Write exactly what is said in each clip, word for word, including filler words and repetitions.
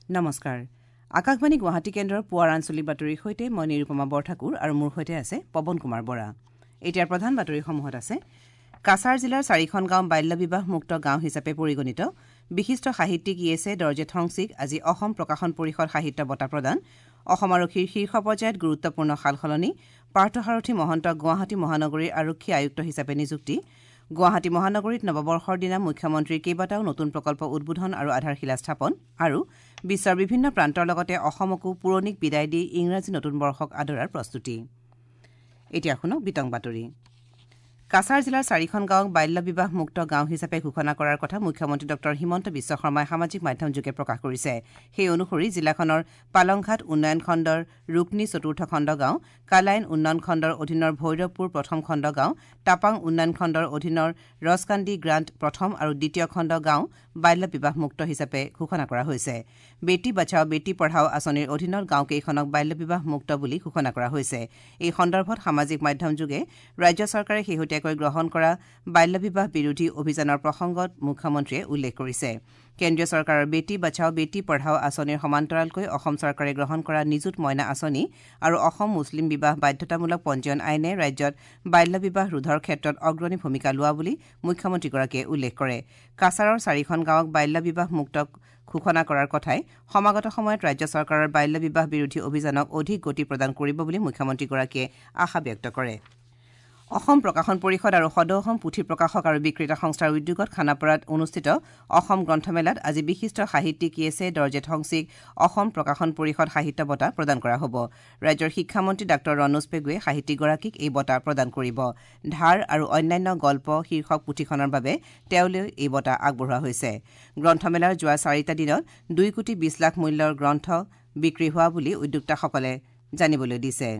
নমস্কাৰ, আকাশবাণী গুৱাহাটী কেন্দ্ৰৰ পুৱাৰ আঞ্চলিক বাতৰিৰ সৈতে মই নিৰুপমা বৰঠাকুৰ আৰু মোৰ সৈতে আছে পৱন কুমাৰ বৰা। এতিয়াৰ প্ৰধান বাতৰিসমূহত আছে কাছাৰ জিলাৰ চাৰিখন গাঁও বাল্য বিবাহ মুক্ত গাঁও হিচাপে পৰিগণিত। বিশিষ্ট সাহিত্যিক য়েছে দৰ্জে ঠংচিক আজি অসম প্ৰকাশন পৰিষদ সাহিত্য বঁটা প্ৰদান। অসম আৰক্ষীৰ শীৰ্ষ পৰ্যায়ত গুৰুত্বপূৰ্ণ সালসলনি। পাৰ্থসাৰথি মহন্তক গুৱাহাটী মহানগৰীৰ আৰক্ষী আয়ুক্ত হিচাপে নিযুক্তি। গুৱাহাটী মহানগৰীত নৱবৰ্ষৰ দিনা মুখ্যমন্ত্ৰীৰ কেইবাটাও নতুন প্ৰকল্প উদ্বোধন আৰু আধাৰশিলা স্থাপন। আৰু বিশ্বৰ বিভিন্ন প্ৰান্তৰ লগতে অসমকো পুৰণিক বিদায় দি ইংৰাজী নতুন বৰ্ষক আদৰাৰ প্ৰস্তুতি। এতিয়া শুনক বিতং বাতৰি। কাছাৰ জিলাৰ চাৰিখন গাঁৱক বাল্য বিবাহ মুক্ত গাঁও হিচাপে ঘোষণা কৰাৰ কথা মুখ্যমন্ত্ৰী ডঃ হিমন্ত বিশ্ব শৰ্মাই সামাজিক মাধ্যমযোগে প্ৰকাশ কৰিছে। সেই অনুসৰি জিলাখনৰ পালংঘাট উন্নয়ন খণ্ডৰ ৰুকনি চতুৰ্থ খণ্ড গাঁও, কালাইন উন্নয়ন খণ্ডৰ অধীনৰ ভৈৰৱপুৰ প্ৰথম খণ্ড গাঁও, টাপাং উন্নয়ন খণ্ডৰ অধীনৰ ৰছকান্দি গ্ৰাণ্ট প্ৰথম আৰু দ্বিতীয় খণ্ড গাঁও বাল্য বিবাহ মুক্ত হিচাপে ঘোষণা কৰা হৈছে। বেটী বচাও বেটী পঢ়াও আঁচনিৰ অধীনত গাঁওকেইখনক বাল্য বিবাহ মুক্ত বুলি ঘোষণা কৰা হৈছে। এই সন্দৰ্ভত সামাজিক মাধ্যমযোগে ৰাজ্য চৰকাৰে শেহতীয়া গ্ৰহণ কৰা বাল্য বিবাহ বিৰোধী অভিযানৰ প্ৰসংগত মুখ্যমন্ত্ৰীয়ে উল্লেখ কৰিছে। কেন্দ্ৰীয় চৰকাৰৰ বেটী বচাও বেটী পঢ়াও আঁচনিৰ সমান্তৰালকৈ অসম চৰকাৰে গ্ৰহণ কৰা নিযুত মইনা আঁচনি আৰু অসম মুছলিম বিবাহ বাধ্যতামূলক পঞ্জীয়ন আইনে ৰাজ্যত বাল্য বিবাহ ৰোধৰ ক্ষেত্ৰত অগ্ৰণী ভূমিকা লোৱা বুলি মুখ্যমন্ত্ৰীগৰাকীয়ে উল্লেখ কৰে। কাছাৰৰ চাৰিখন গাঁৱক বাল্য বিবাহ মুক্ত ঘোষণা কৰাৰ কথাই সমাগত সময়ত ৰাজ্য চৰকাৰৰ বাল্য বিবাহ বিৰোধী অভিযানক অধিক গতি প্ৰদান কৰিব বুলি মুখ্যমন্ত্ৰীগৰাকীয়ে আশা ব্যক্ত কৰে। অসম প্ৰকাশন পৰিষদ আৰু সদৌ অসম পুথি প্ৰকাশক আৰু বিক্ৰেতা সংস্থাৰ উদ্যোগত খানাপাৰাত অনুষ্ঠিত অসম গ্ৰন্থমেলাত আজি বিশিষ্ট সাহিত্যিক য়েছে দৰ্জে ঠংচিক অসম প্ৰকাশন পৰিষদ সাহিত্য বঁটা প্ৰদান কৰা হ'ব। ৰাজ্যৰ শিক্ষামন্ত্ৰী ডাঃ ৰণোজ পেগুৱে সাহিত্যিকগৰাকীক এই বঁটা প্ৰদান কৰিব। ধাৰ আৰু অন্যান্য গল্প শীৰ্ষক পুথিখনৰ বাবে তেওঁলৈ এই বঁটা আগবঢ়োৱা হৈছে। গ্ৰন্থমেলাৰ যোৱা চাৰিটা দিনত দুই কোটি বিশ লাখ মূল্যৰ গ্ৰন্থ বিক্ৰী হোৱা বুলি উদ্যোক্তাসকলে জানিবলৈ দিছে।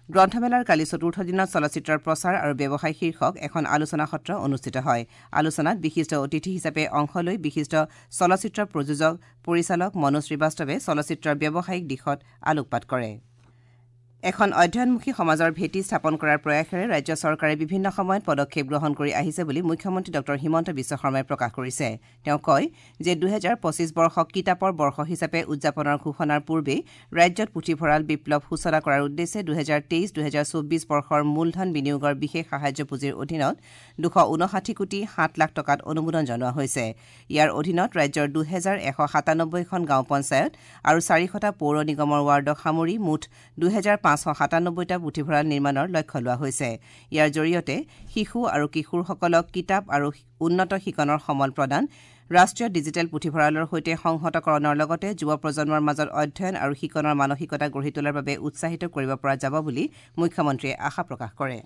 গ্ৰন্থমেলাৰ কালি চতুৰ্থ দিনত চলচ্চিত্ৰৰ প্ৰচাৰ আৰু ব্যৱসায় শীৰ্ষক এখন আলোচনা সত্ৰ অনুষ্ঠিত হয়। আলোচনাত বিশিষ্ট অতিথি হিচাপে অংশ লৈ বিশিষ্ট চলচ্চিত্ৰ প্ৰযোজক পৰিচালক মনোজ শ্ৰীবাস্তৱে চলচ্চিত্ৰৰ ব্যৱসায়িক দিশত আলোকপাত কৰে। এখন অধ্যয়নমুখী সমাজৰ ভেটি স্থাপন কৰাৰ প্ৰয়াসেৰে ৰাজ্য চৰকাৰে বিভিন্ন সময়ত পদক্ষেপ গ্ৰহণ কৰি আহিছে বুলি মুখ্যমন্ত্ৰী ডঃ হিমন্ত বিশ্ব শৰ্মাই প্ৰকাশ কৰিছে। তেওঁ কয় যে দুহেজাৰ পঁচিছ বৰ্ষক কিতাপৰ বৰ্ষ হিচাপে উদযাপনৰ ঘোষণাৰ পূৰ্বেই ৰাজ্যত পুথিভঁৰাল বিপ্লৱ সূচনা কৰাৰ উদ্দেশ্যে দুহেজাৰ তেইছ দুহেজাৰ চৌব্বিছ বৰ্ষৰ মূলধন বিনিয়োগৰ বিশেষ সাহায্য পুঁজিৰ অধীনত দুশ ঊনষাঠি কোটি সাত লাখ টকাত অনুমোদন জনোৱা হৈছে। ইয়াৰ অধীনত ৰাজ্যৰ দুহেজাৰ এশ সাতানব্বৈখন গাঁও পঞ্চায়ত আৰু চাৰিশটা পৌৰ নিগমৰ ৱাৰ্ডক সামৰি মুঠ দুহেজাৰ পাঁচশ সাতানব্বৈটা পুথিভঁৰাল নিৰ্মাণৰ লক্ষ্য লোৱা হৈছে। ইয়াৰ জৰিয়তে শিশু আৰু কিশোৰসকলক কিতাপ আৰু উন্নত শিকনৰ সমল প্ৰদান, ৰাষ্ট্ৰীয় ডিজিটেল পুথিভঁৰালৰ সৈতে সংহতকৰণৰ লগতে যুৱ প্ৰজন্মৰ মাজত অধ্যয়ন আৰু শিকনৰ মানসিকতা গঢ়ি তোলাৰ বাবে উৎসাহিত কৰিব পৰা যাব বুলি মুখ্যমন্ত্ৰীয়ে আশা প্ৰকাশ কৰে।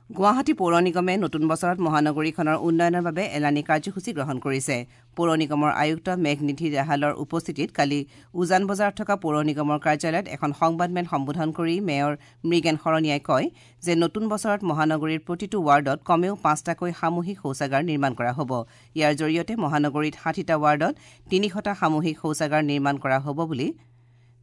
গুৱাহাটী পৌৰ নিগমে নতুন বছৰত মহানগৰীখনৰ উন্নয়নৰ বাবে এলানি কাৰ্যসূচী গ্ৰহণ কৰিছে। পৌৰ নিগমৰ আয়ুক্ত মেঘনিধি দাহালৰ উপস্থিতিত কালি উজান বজাৰত থকা পৌৰ নিগমৰ কাৰ্যালয়ত এখন সংবাদমেল সম্বোধন কৰি মেয়ৰ মৃগেন শৰণীয়াই কয় যে নতুন বছৰত মহানগৰীৰ প্ৰতিটো ৱাৰ্ডত কমেও পাঁচটাকৈ সামূহিক শৌচাগাৰ নিৰ্মাণ কৰা হ'ব। ইয়াৰ জৰিয়তে মহানগৰীত ষাঠিটা ৱাৰ্ডত তিনিশটা সামূহিক শৌচাগাৰ নিৰ্মাণ কৰা হ'ব বুলি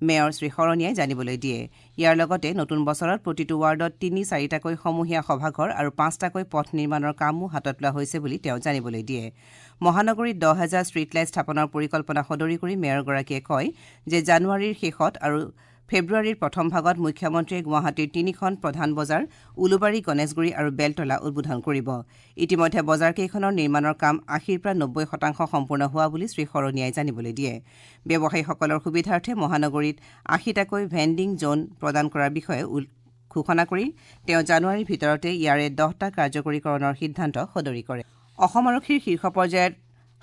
মেয়ৰ শ্ৰী শৰণীয়াই জানিবলৈ দিয়ে। ইয়াৰ লগতে নতুন বছৰত প্ৰতিটো ৱাৰ্ডত তিনি চাৰিটাকৈ সমূহীয়া সভাঘৰ আৰু পাঁচটাকৈ পথ নিৰ্মাণৰ কামো হাতত লোৱা হৈছে বুলি তেওঁ জানিবলৈ দিয়ে। মহানগৰীত দহ হাজাৰ ষ্ট্ৰীট লাইট স্থাপনৰ পৰিকল্পনা সদৰি কৰি মেয়ৰগৰাকীয়ে কয় যে জানুৱাৰীৰ শেষত আৰু ফেব্ৰুৱাৰীৰ প্ৰথম ভাগত মুখ্যমন্ত্ৰীয়ে গুৱাহাটীৰ তিনিখন প্ৰধান বজাৰ উলুবাৰী, গণেশগুৰি আৰু বেলতলা উদ্বোধন কৰিব। ইতিমধ্যে বজাৰকেইখনৰ নিৰ্মাণৰ কাম আশীৰ পৰা নব্বৈ শতাংশ সম্পূৰ্ণ হোৱা বুলি শ্ৰী শৰণীয়াই জানিবলৈ দিয়ে। ব্যৱসায়ীসকলৰ সুবিধাৰ্থে মহানগৰীত আশীটাকৈ ভেণ্ডিং জ'ন প্ৰদান কৰাৰ বিষয়ে ঘোষণা কৰি তেওঁ জানুৱাৰীৰ ভিতৰতে ইয়াৰে দহটা কাৰ্যকৰীকৰণৰ সিদ্ধান্ত সদৰি কৰে। অসম আৰক্ষীৰ শীৰ্ষ পৰ্যায়ত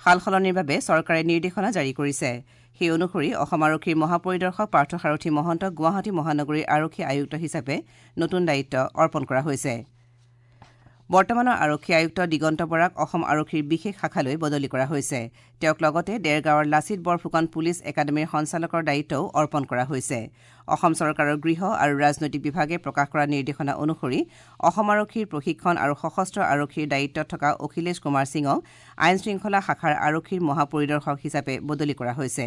সালসলনিৰ বাবে চৰকাৰে নিৰ্দেশনা জাৰি কৰিছে। সেই অনুসৰি অসম আৰক্ষীৰ মহাপৰিদৰ্শক পাৰ্থসাৰথি মহন্তক গুৱাহাটী মহানগৰীৰ আৰক্ষী আয়ুক্ত হিচাপে নতুন দায়িত্ব অৰ্পণ কৰা হৈছে। বৰ্তমানৰ আৰক্ষী আয়ুক্ত দিগন্ত বৰাক অসম আৰক্ষীৰ বিশেষ শাখালৈ বদলি কৰা হৈছে। তেওঁক লগতে দেৰগাঁৱৰ লাচিত বৰফুকন পুলিচ একাডেমীৰ সঞ্চালকৰ দায়িত্বও অৰ্পণ কৰা হৈছে। অসম চৰকাৰৰ গৃহ আৰু ৰাজনৈতিক বিভাগে প্ৰকাশ কৰা নিৰ্দেশনা অনুসৰি অসম আৰক্ষীৰ প্ৰশিক্ষণ আৰু সশস্ত্ৰ আৰক্ষীৰ দায়িত্বত থকা অখিলেশ কুমাৰ সিঙক আইন শৃংখলা শাখাৰ আৰক্ষীৰ মহাপৰিদৰ্শক হিচাপে বদলি কৰা হৈছে।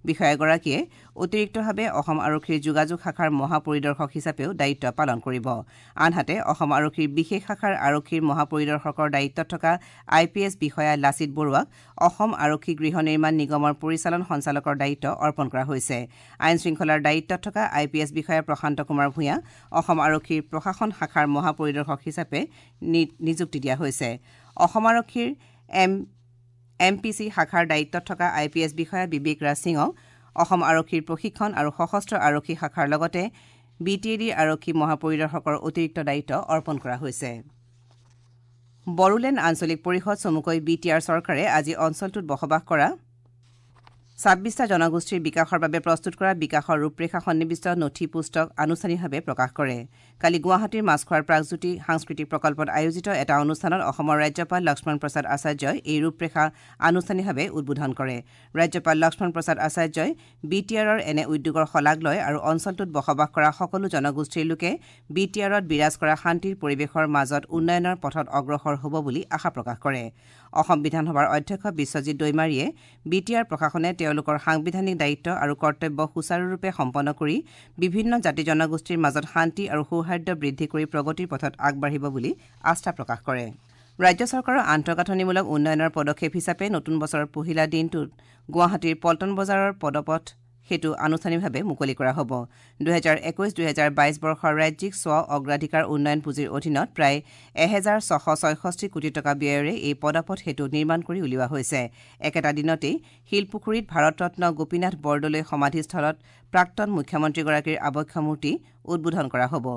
বিষয়াগৰাকীয়ে অতিৰিক্তভাৱে অসম আৰক্ষীৰ যোগাযোগ শাখাৰ মহাপৰিদৰ্শক হিচাপেও দায়িত্ব পালন কৰিব। আনহাতে অসম আৰক্ষীৰ বিশেষ শাখাৰ আৰক্ষীৰ মহাপৰিদৰ্শকৰ দায়িত্বত থকা আই পি এছ বিষয়া লাচিত বৰুৱাক অসম আৰক্ষী গৃহ নিৰ্মাণ নিগমৰ পৰিচালন সঞ্চালকৰ দায়িত্ব অৰ্পণ কৰা হৈছে। আইন শৃংখলাৰ দায়িত্বত থকা আই পি এছ বিষয়া প্ৰশান্ত কুমাৰ ভূঞা অসম আৰক্ষীৰ প্ৰশাসন শাখাৰ মহাপৰিদৰ্শক হিচাপে নিযুক্তি দিয়া হৈছে। অসম আৰক্ষীৰ এম এম পি চি শাখাৰ দায়িত্বত থকা আই পি এছ বিষয়া বিবেক ৰাজ সিঙক অসম আৰক্ষীৰ প্ৰশিক্ষণ আৰু সশস্ত্ৰ আৰক্ষী শাখাৰ লগতে বি টি এ ডিৰ আৰক্ষী মহাপৰিদৰ্শকৰ অতিৰিক্ত দায়িত্ব অৰ্পণ কৰা হৈছে। বড়োলেণ্ড আঞ্চলিক পৰিষদ চমুকৈ বি টি আৰ চৰকাৰে আজি অঞ্চলটোত বসবাস কৰা ছাব্বিছটা জনগোষ্ঠীৰ বিকাশৰ বাবে প্ৰস্তুত কৰা বিকাশৰ ৰূপৰেখা সন্নিৱিষ্ট নথি পুস্তক আনুষ্ঠানিকভাৱে প্ৰকাশ কৰে। কালি গুৱাহাটীৰ মাছখোৱাৰ প্ৰাগজ্যোতি সাংস্কৃতিক প্ৰকল্পত আয়োজিত এটা অনুষ্ঠানত অসমৰ ৰাজ্যপাল লক্ষ্মণ প্ৰসাদ আচাৰ্যই এই ৰূপৰেখা আনুষ্ঠানিকভাৱে উদ্বোধন কৰে। ৰাজ্যপাল লক্ষ্মণ প্ৰসাদ আচাৰ্যই বি টি আৰৰ এনে উদ্যোগৰ শলাগ লয় আৰু অঞ্চলটোত বসবাস কৰা সকলো জনগোষ্ঠীৰ লোকে বি টি আৰত বিৰাজ কৰা শান্তিৰ পৰিৱেশৰ মাজত উন্নয়নৰ পথত অগ্ৰসৰ হ'ব বুলি আশা প্ৰকাশ কৰে। অসম বিধানসভাৰ অধ্যক্ষ বিশ্বজিৎ দৈমাৰীয়ে বি টি আৰ প্ৰশাসনে তেওঁলোকৰ সাংবিধানিক দায়িত্ব আৰু কৰ্তব্য সুচাৰুৰূপে সম্পন্ন কৰি বিভিন্ন জাতি জনগোষ্ঠীৰ মাজত শান্তি আৰু সৌহাৰ্দ্য বৃদ্ধি কৰি প্ৰগতিৰ পথত আগবাঢ়িব বুলি আস্থা প্ৰকাশ কৰে। ৰাজ্য চৰকাৰৰ আন্তঃগাঁথনিমূলক উন্নয়নৰ পদক্ষেপ হিচাপে নতুন বছৰৰ পহিলা দিনটোত গুৱাহাটীৰ পল্টন বজাৰৰ পদপথ সেতু আনুষ্ঠানিকভাৱে মুকলি কৰা হ'ব। দুহেজাৰ একৈশ দুহেজাৰ বাইশ বৰ্ষৰ ৰাজ্যিক স্ব অগ্ৰাধিকাৰ উন্নয়ন পুঁজিৰ অধীনত প্ৰায় এহেজাৰ ছশ ছয়ষষ্ঠি কোটি টকা ব্যয়েৰে এই পদপথ সেতু নিৰ্মাণ কৰি উলিওৱা হৈছে। একেটা দিনতেই শিলপুখুৰীত ভাৰতৰত্ন গোপীনাথ বৰদলৈ সমাধিস্থলত প্ৰাক্তন মুখ্যমন্ত্ৰীগৰাকীৰ আৱক্ষ মূৰ্তি উদ্বোধন কৰা হ'ব।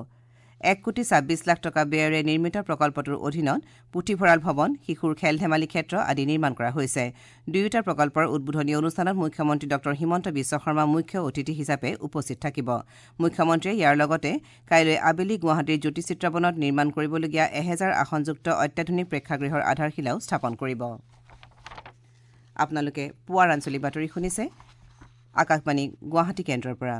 এক কোটি ছাব্বিছ লাখ টকা ব্যয়েৰে নিৰ্মিত প্ৰকল্পটোৰ অধীনত পুথিভঁৰাল ভৱন, শিশুৰ খেল ধেমালি ক্ষেত্ৰ আদি নিৰ্মাণ কৰা হৈছে। দুয়োটা প্ৰকল্পৰ উদ্বোধনী অনুষ্ঠানত মুখ্যমন্ত্ৰী ডক্টৰ হিমন্ত বিশ্ব শৰ্মা মুখ্য অতিথি হিচাপে উপস্থিত থাকিব। মুখ্যমন্ত্ৰীয়ে ইয়াৰ লগতে কাইলৈ আবেলি গুৱাহাটীৰ জ্যোতি চিত্ৰবনত নিৰ্মাণ কৰিবলগীয়া এহেজাৰ আসনযুক্ত অত্যাধুনিক প্ৰেক্ষাগৃহৰ আধাৰশিলাও স্থাপন কৰিব। আপোনালোকে পুৱাৰ আঞ্চলিক বাতৰি শুনিছে আকাশবাণী গুৱাহাটী কেন্দ্ৰৰ পৰা।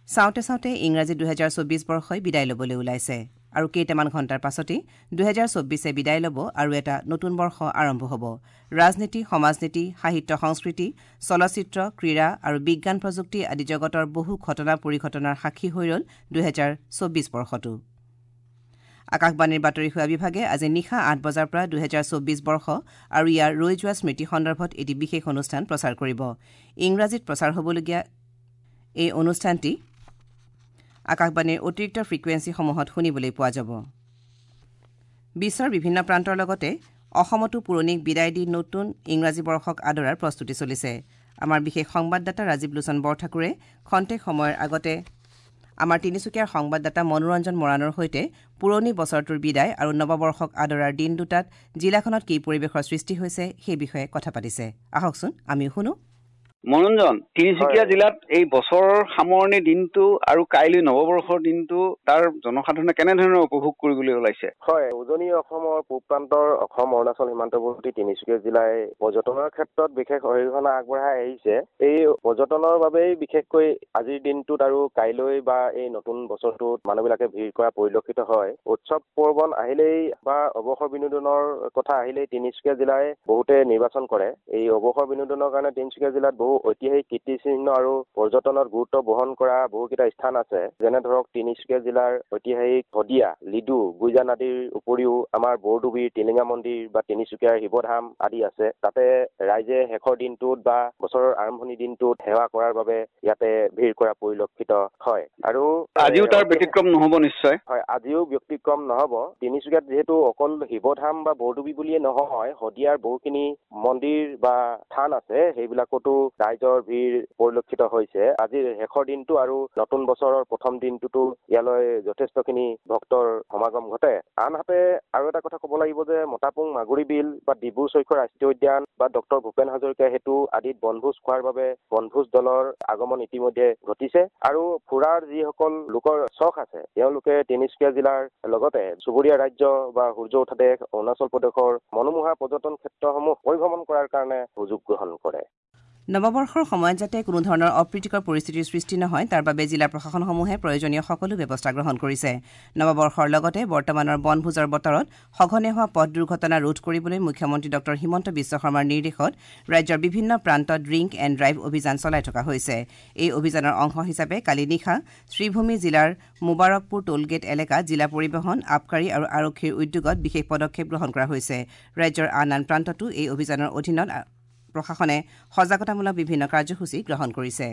চাওঁতে চাওঁতে ইংৰাজী দুহেজাৰ চৌবিছ বৰ্ষই বিদায় ল'বলৈ ওলাইছে আৰু কেইটামান ঘণ্টাৰ পাছতেই দুহেজাৰ চৌবিছে বিদায় ল'ব আৰু এটা নতুন বৰ্ষ আৰম্ভ হ'ব। ৰাজনীতি, সমাজনীতি, সাহিত্য, সংস্কৃতি, চলচ্চিত্ৰ, ক্ৰীড়া আৰু বিজ্ঞান প্ৰযুক্তি আদি জগতৰ বহু ঘটনা পৰিঘটনাৰ সাক্ষী হৈ ৰ'ল দুহেজাৰ চৌবিছ বৰ্ষটো। আকাশবাণীৰ বাতৰি সেৱা বিভাগে আজি নিশা আঠ বজাৰ পৰা দুহেজাৰ চৌবিছ বৰ্ষ আৰু ইয়াৰ ৰৈ যোৱা স্মৃতি সন্দৰ্ভত এটি বিশেষ অনুষ্ঠান প্ৰচাৰ কৰিব। ইংৰাজীত প্ৰচাৰ হ'বলগীয়া এই অনুষ্ঠানটি আকাশবাণীৰ অতিৰিক্ত ফ্ৰিকুৱেঞ্চিসমূহত শুনিবলৈ পোৱা যাব। বিশ্বৰ বিভিন্ন প্ৰান্তৰ লগতে অসমতো পুৰণিক বিদায় দি নতুন ইংৰাজী বৰ্ষক আদৰাৰ প্ৰস্তুতি চলিছে। আমাৰ বিশেষ সংবাদদাতা ৰাজীৱ লোচন বৰঠাকুৰে খন্তেক সময়ৰ আগতে আমাৰ তিনিচুকীয়াৰ সংবাদদাতা মনোৰঞ্জন মৰাণৰ সৈতে পুৰণি বছৰটোৰ বিদায় আৰু নৱবৰ্ষক আদৰাৰ দিন দুটাত জিলাখনত কি পৰিৱেশৰ সৃষ্টি হৈছে সেই বিষয়ে কথা পাতিছে। আহকচোন আমিও শুনো। মনোৰঞ্জন, তিনিচুকীয়া জিলাত এই বছৰৰ সামৰণি দিনটো আৰু কাইলৈ নৱবৰ্ষৰ দিনটো তাৰ জনসাধাৰণে কেনেধৰণে উপভোগ কৰিবলৈ ওলাইছে? হয়, উজনি অসমৰ পূব প্ৰান্তৰ অসম অৰুণাচল সীমান্তৱৰ্তী তিনিচুকীয়া জিলাই পৰ্যটনৰ ক্ষেত্ৰত বিশেষ অৰিহণা আগবঢ়াই আহিছে। এই পৰ্যটনৰ বাবেই বিশেষকৈ আজিৰ দিনটোত আৰু কাইলৈ বা এই নতুন বছৰটোত মানুহবিলাকে ভিৰ কৰা পৰিলক্ষিত হয়। উৎসৱ পাৰ্বণ আহিলেই বা অৱসৰ বিনোদনৰ কথা আহিলেই তিনিচুকীয়া জিলাই বহুতে নিৰ্বাচন কৰে। এই অৱসৰ বিনোদনৰ কাৰণে তিনিচুকীয়া জিলাত বহু ঐতিহাসিক কীৰ্তিচিহ্ন আৰু পৰ্যটনত গুৰুত্ব বহন কৰা বহুকেইটা স্থান আছে। যেনে ধৰক তিনিচুকীয়া জিলাৰ ঐতিহাসিক শদিয়া, লিডু, গুইজান আদিৰ উপৰিও আমাৰ বৰডুবিৰ টিলিঙা মন্দিৰ বা তিনিচুকীয়াৰ শিৱধাম আদি আছে। তাতে ৰাইজে শেষৰ দিনটোত বা বছৰৰ আৰম্ভণি দিনটোত সেৱা কৰাৰ বাবে ইয়াতে ভিৰ কৰা পৰিলক্ষিত হয়। আৰু আজিও তাৰ ব্যতিক্ৰম নহ'ব নিশ্চয়? হয়, আজিও ব্যতিক্ৰম নহ'ব। তিনিচুকীয়াত যিহেতু অকল শিৱধাম বা বৰডুবি বুলিয়ে নহয়, শদিয়াৰ বহুখিনি মন্দিৰ বা থান আছে, সেইবিলাকতো ৰাইজৰ ভিৰ পৰিলক্ষিত হৈছে। আজিৰ শেষৰ দিনটো আৰু নতুন বছৰৰ প্ৰথম দিনটোতো ইয়ালৈ যথেষ্টখিনি ভক্তৰ সমাগম ঘটে। আনহাতে আৰু এটা কথা ক'ব লাগিব যে মতাপুং মাগুৰি বিল বা ডিব্ৰু চৈখোৱা ৰাষ্ট্ৰীয় উদ্যান বা ডক্টৰ ভূপেন হাজৰিকা সেতু আদিত বনভোজ খোৱাৰ বাবে বনভোজ দলৰ আগমন ইতিমধ্যে ঘটিছে। আৰু ফুৰাৰ যিসকল লোকৰ চখ আছে তেওঁলোকে তিনিচুকীয়া জিলাৰ লগতে চুবুৰীয়া ৰাজ্য বা সূৰ্য উঠা দেশ অৰুণাচল প্ৰদেশৰ মনোমোহা পৰ্যটন ক্ষেত্ৰসমূহ পৰিভ্ৰমণ কৰাৰ কাৰণে সুযোগ গ্ৰহণ কৰে। নৱবৰ্ষৰ সময়ত যাতে কোনো ধৰণৰ অপ্ৰীতিকৰ পৰিস্থিতিৰ সৃষ্টি নহয় তাৰ বাবে জিলা প্ৰশাসনসমূহে প্ৰয়োজনীয় সকলো ব্যৱস্থা গ্ৰহণ কৰিছে। নৱবৰ্ষৰ লগতে বৰ্তমানৰ বনভোজৰ বতৰত সঘনে হোৱা পথ দুৰ্ঘটনা ৰোধ কৰিবলৈ মুখ্যমন্ত্ৰী ডঃ হিমন্ত বিশ্ব শৰ্মাৰ নিৰ্দেশত ৰাজ্যৰ বিভিন্ন প্ৰান্তত ড্ৰিংক এণ্ড ড্ৰাইভ অভিযান চলাই থকা হৈছে। এই অভিযানৰ অংশ হিচাপে কালি নিশা শ্ৰীভূমি জিলাৰ মুবাৰকপুৰ টোলগেট এলেকাত জিলা পৰিবহণ, আবকাৰী আৰু আৰক্ষীৰ উদ্যোগত বিশেষ পদক্ষেপ গ্ৰহণ কৰা হৈছে। ৰাজ্যৰ আন আন প্ৰান্ততো এই অভিযানৰ অধীনত প্ৰশাসনে সজাগতামূলক বিভিন্ন কাৰ্যসূচী গ্ৰহণ কৰিছে।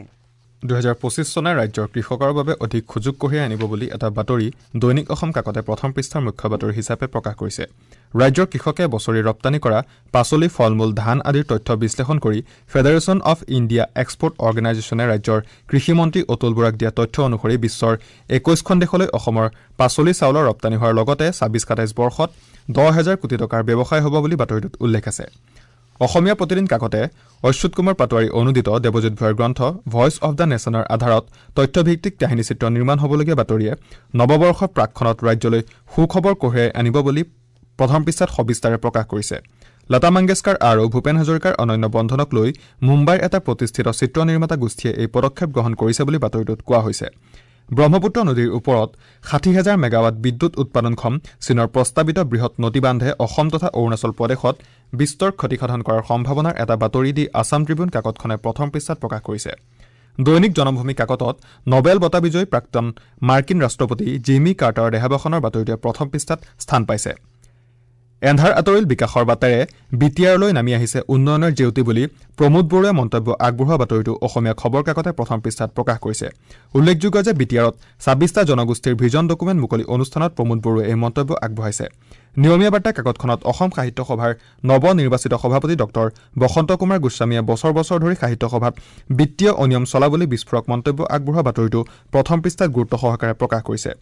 দুহেজাৰ পঁচিছ চনে ৰাজ্যৰ কৃষকৰ বাবে অধিক সুযোগ কঢ়িয়াই আনিব বুলি এটা বাতৰি দৈনিক অসম কাকতে প্ৰথম পৃষ্ঠাৰ মুখ্য বাতৰি হিচাপে প্ৰকাশ কৰিছে। ৰাজ্যৰ কৃষকে বছৰি ৰপ্তানি কৰা পাচলি, ফল-মূল, ধান আদিৰ তথ্য বিশ্লেষণ কৰি ফেডাৰেশ্যন অফ ইণ্ডিয়া এক্সপৰ্ট অৰ্গেনাইজেশ্যনে ৰাজ্যৰ কৃষিমন্ত্ৰী অতুল বৰাক দিয়া তথ্য অনুসৰি বিশ্বৰ একৈছখন দেশলৈ অসমৰ পাচলি, চাউলৰ ৰপ্তানি হোৱাৰ লগতে ছাব্বিছ সাতাইছ বৰ্ষত দহ হাজাৰ কোটি টকাৰ ব্যৱসায় হ'ব বুলি বাতৰিটোত উল্লেখ আছে। অসমীয়া প্ৰতিদিন কাকতে অচ্যুত কুমাৰ পাটোৱাৰী অনুদিত দেৱজিৎ ভূঞাৰ গ্ৰন্থ ভইচ অফ the নেশ্যনৰ আধাৰত তথ্যভিত্তিক কাহিনীচিত্ৰ নিৰ্মাণ হ'বলগীয়া বাতৰিয়ে নৱবৰ্ষৰ প্ৰাকক্ষণত ৰাজ্যলৈ সুখবৰ কঢ়িয়াই আনিব বুলি প্ৰথম পৃষ্ঠাত সবিস্তাৰে প্ৰকাশ কৰিছে। লতা মংগেশকাৰ আৰু ভূপেন হাজৰিকাৰ অনন্য বন্ধনক লৈ মুম্বাইৰ এটা প্ৰতিষ্ঠিত চিত্ৰ নিৰ্মাতা গোষ্ঠীয়ে এই পদক্ষেপ গ্ৰহণ কৰিছে বুলি বাতৰিটোত কোৱা হৈছে। ব্ৰহ্মপুত্ৰ নদীৰ ওপৰত ষাঠি হাজাৰ মেগাৱাট বিদ্যুৎ উৎপাদনক্ষম চীনৰ প্ৰস্তাৱিত বৃহৎ নদীবান্ধে অসম তথা অৰুণাচল প্ৰদেশত বিস্তৰ ক্ষতিসাধন কৰাৰ সম্ভাৱনাৰ এটা বাতৰি দি আছাম ট্ৰিবিউন কাকতখনে প্ৰথম পৃষ্ঠাত প্ৰকাশ কৰিছে। দৈনিক জনমভূমি কাকতত নবেল বঁটা বিজয়ী প্ৰাক্তন মাৰ্কিন ৰাষ্ট্ৰপতি জিমি কাৰ্টাৰৰ দেহাৱসানৰ বাতৰিটোৱে প্ৰথম পৃষ্ঠাত স্থান পাইছে। এন্ধাৰ আঁতৰিল বিকাশৰ বাটেৰে বি টি আৰলৈ নামি আহিছে উন্নয়নৰ জেউতি বুলি প্ৰমোদ বৰুৱাই মন্তব্য আগবঢ়োৱা বাতৰিটো অসমীয়া খবৰ কাকতে প্ৰথম পৃষ্ঠাত প্ৰকাশ কৰিছে। উল্লেখযোগ্য যে বি টি আৰত ছাব্বিছটা জনগোষ্ঠীৰ ভিজন ডকুমেণ্ট মুকলি অনুষ্ঠানত প্ৰমোদ বৰুৱাই এই মন্তব্য আগবঢ়াইছে। নিয়মীয়া বাৰ্তা কাকতখনত অসম সাহিত্য সভাৰ নৱ নিৰ্বাচিত সভাপতি ডক্টৰ বসন্ত কুমাৰ গোস্বামীয়ে বছৰ বছৰ ধৰি সাহিত্য সভাত বিত্তীয় অনিয়ম চলা বুলি বিস্ফোৰক মন্তব্য আগবঢ়োৱা বাতৰিটো প্ৰথম পৃষ্ঠাত গুৰুত্ব সহকাৰে প্ৰকাশ কৰিছে।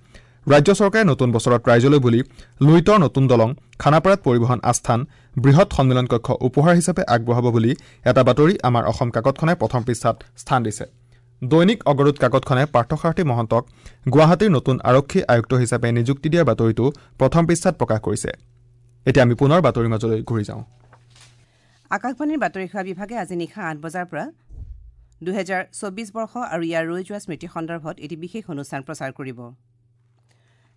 ৰাজ্য চৰকাৰে নতুন বছৰত ৰাইজলৈ বুলি লুইতৰ নতুন দলং, খানাপাৰাত পৰিবহণ আস্থান, বৃহৎ সন্মিলন কক্ষ উপহাৰ হিচাপে আগবঢ়াব বুলি এটা বাতৰি আমাৰ অসম কাকতখনে প্ৰথম পৃষ্ঠাত স্থান দিছে। দৈনিক অগৰুত কাকতখনে পাৰ্থসাৰথী মহন্তক গুৱাহাটীৰ নতুন আৰক্ষী আয়ুক্ত হিচাপে নিযুক্তি দিয়াৰ বাতৰিটো প্ৰথম পৃষ্ঠাত প্ৰকাশ কৰিছে। এতিয়া আমি পুনৰ বাতৰিৰ মাজলৈ ঘূৰি যাওঁ। আকাশবাণীৰ বাতৰি সেৱা বিভাগে আজি নিশা আঠ বজাৰ পৰা দুহেজাৰ চৌবিছ বৰ্ষ আৰু ইয়াৰ ৰৈ যোৱা স্মৃতি সন্দৰ্ভত এটি বিশেষ অনুষ্ঠান প্ৰচাৰ কৰিব।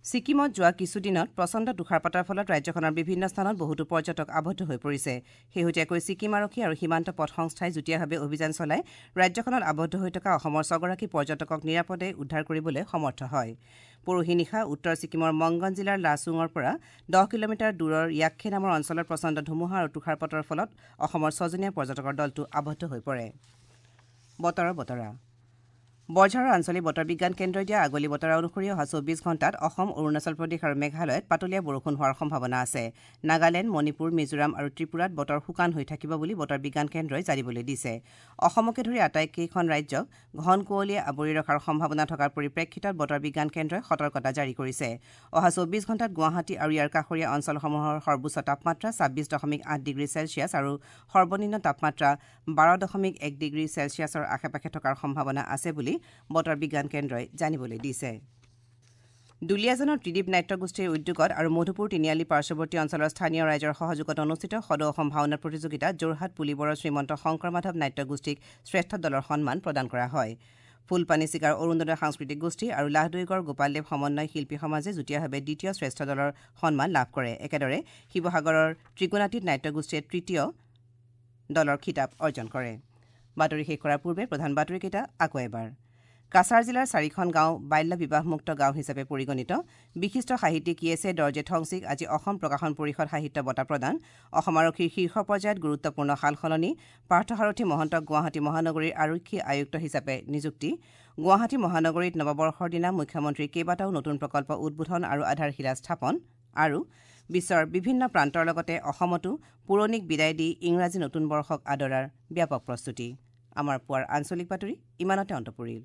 ছিকিমত যোৱা কিছুদিনত প্ৰচণ্ড তুষাৰপাতৰ ফলত ৰাজ্যখনৰ বিভিন্ন স্থানত বহুতো পৰ্যটক আবদ্ধ হৈ পৰিছে। শেহতীয়াকৈ ছিকিম আৰক্ষী আৰু সীমান্ত পথ সংস্থাই যুটীয়াভাৱে অভিযান চলাই ৰাজ্যখনত আবদ্ধ হৈ থকা অসমৰ ছগৰাকী পৰ্যটকক নিৰাপদে উদ্ধাৰ কৰিবলৈ সমৰ্থ হয়। পৰহি নিশা উত্তৰ ছিকিমৰ মংগন জিলাৰ লাচুঙৰ পৰা দহ কিলোমিটাৰ দূৰৰ য়াক্ষে নামৰ অঞ্চলত প্ৰচণ্ড ধুমুহা আৰু তুষাৰপাতৰ ফলত অসমৰ ছজনীয়া পৰ্যটকৰ দলটো আবদ্ধ হৈ পৰে। বতৰৰ বতৰা বৰঝাৰৰ আঞ্চলিক বতৰ বিজ্ঞান কেন্দ্ৰই দিয়া আগলি বতৰা অনুসৰি অহা চৌবিছ ঘণ্টাত অসম, অৰুণাচল প্ৰদেশ আৰু মেঘালয়ত পাতলীয়া বৰষুণ হোৱাৰ সম্ভাৱনা আছে। নাগালেণ্ড, মণিপুৰ, মিজোৰাম আৰু ত্ৰিপুৰাত বতৰ শুকান হৈ থাকিব বুলি বতৰ বিজ্ঞান কেন্দ্ৰই জানিবলৈ দিছে। অসমকে ধৰি আটাইকেইখন ৰাজ্যক ঘন কুঁৱলীয়ে আৱৰি ৰখাৰ সম্ভাৱনা থকাৰ পৰিপ্ৰেক্ষিতত বতৰ বিজ্ঞান কেন্দ্ৰই সতৰ্কতা জাৰি কৰিছে। অহা চৌবিছ ঘণ্টাত গুৱাহাটী আৰু ইয়াৰ কাষৰীয়া অঞ্চলসমূহৰ সৰ্বোচ্চ তাপমাত্ৰা ছাব্বিছ দশমিক আঠ ডিগ্ৰী চেলছিয়াছ আৰু সৰ্বনিম্ন তাপমাত্ৰা বাৰ দশমিক এক ডিগ্ৰী চেলছিয়াছৰ আশে পাশে থকাৰ সম্ভাৱনা আছে বুলি বতৰ বিজ্ঞান কেন্দ্ৰই জানিবলৈ দিছে। দুলীয়াজানৰ ত্ৰিদীপ নাট্যগোষ্ঠীৰ উদ্যোগত আৰু মধুপুৰ তিনিআলি পাৰ্শ্বৱৰ্তী অঞ্চলৰ স্থানীয় ৰাইজৰ সহযোগত অনুষ্ঠিত সদৌ অসম ভাওনা প্ৰতিযোগিতাত যোৰহাট পুলিবৰৰ শ্ৰীমন্ত শংকৰ মাধৱ নাট্যগোষ্ঠীক শ্ৰেষ্ঠ দলৰ সন্মান প্ৰদান কৰা হয়। ফুলপানী চিকাৰ অৰুণোদয় সাংস্কৃতিক গোষ্ঠী আৰু লাহদৈগড় গোপালদেৱ সমন্বয় শিল্পী সমাজে যুটীয়াভাৱে দ্বিতীয় শ্ৰেষ্ঠ দলৰ সন্মান লাভ কৰে। একেদৰে শিৱসাগৰৰ ত্ৰিগুণাতীত নাট্যগোষ্ঠীয়ে তৃতীয় দলৰ খিতাপ অৰ্জন কৰে। বাতৰি শেষ কৰাৰ পূৰ্বে প্ৰধান বাতৰিকেইটা আকৌ এবাৰ। কাছাৰ জিলাৰ চাৰিখন গাঁও বাল্য বিবাহমুক্ত গাঁও হিচাপে পৰিগণিত। বিশিষ্ট সাহিত্যিক য়েছে দৰ্জে ঠংচিক আজি অসম প্ৰকাশন পৰিষদ সাহিত্য বঁটা প্ৰদান। অসম আৰক্ষীৰ শীৰ্ষ পৰ্যায়ত গুৰুত্বপূৰ্ণ সালসলনি। পাৰ্থসাৰথী মহন্তক গুৱাহাটী মহানগৰীৰ আৰক্ষী আয়ুক্ত হিচাপে নিযুক্তি। গুৱাহাটী মহানগৰীত নৱবৰ্ষৰ দিনা মুখ্যমন্ত্ৰীৰ কেইবাটাও নতুন প্ৰকল্প উদ্বোধন আৰু আধাৰশিলা স্থাপন। আৰু বিশ্বৰ বিভিন্ন প্ৰান্তৰ লগতে অসমতো পুৰণিক বিদায় দি ইংৰাজী নতুন বৰ্ষক আদৰাৰ ব্যাপক প্ৰস্তুতি। আমাৰ পুৱাৰ আঞ্চলিক বাতৰি ইমানতে অন্ত পৰিল।